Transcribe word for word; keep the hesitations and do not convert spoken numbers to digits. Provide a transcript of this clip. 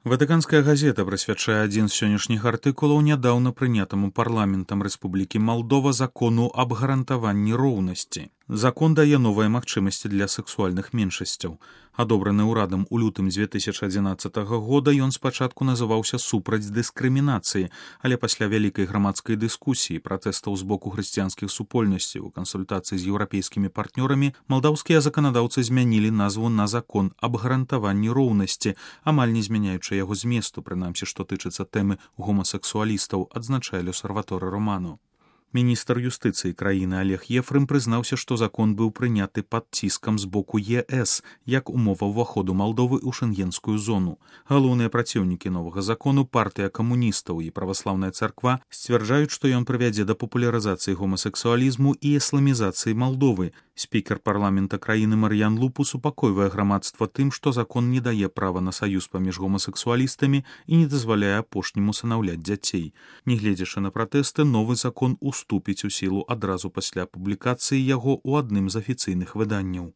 Ватыканская газета прысвячае адзін з сённяшніх артыкулаў нядаўна прынятаму парламентам Рэспублікі Малдова закону аб гарантаванні роўнасці. Закон дае новыя магчымасці для сексуальных меншасцяў. Адобраны ўрадам у лютым дзве тысячы адзінаццатага года ён спачатку называўся супраць дыскрымінацыі, але пасля вялікай грамадскай дыскусіі, пратэстаў з боку хрысціянскіх супольнасцяў у кансультацыі з еўрапейскімі партнёрамі, малдаўскія заканадаўцы змянілі назву на закон аб гарантаванні роўнасці, амаль не змяняючы яго зместу, прынамсі, што тычыцца тэмы гомасексуалістаў, адзначае Лёсарваторы Романо. Міністр юстыцыі краіны Олег Ефрым прызнаўся, што закон быў прыняты пад ціскам з боку ЕС, як умова ўваходу Малдовы ў шэнгенскую зону. Галоўныя праціўнікі новага закону, партыя камуністаў і праваслаўная царква сцвярджаюць, што ён прывядзе да папулярызацыі гомасексуалізму і ісламізацыі Малдовы. Спікер парламента краіны Мар'ян Лупу супакойвае грамадства тым, што закон не дае права на саюз паміж гомасексуалістамі і не дазваляе апошнім усынаўляць дзяцей. Нягледзячы на пратэсты, новы закон уступіць у сілу адразу пасля публікацыі яго ў адным з афіцыйных выданняў.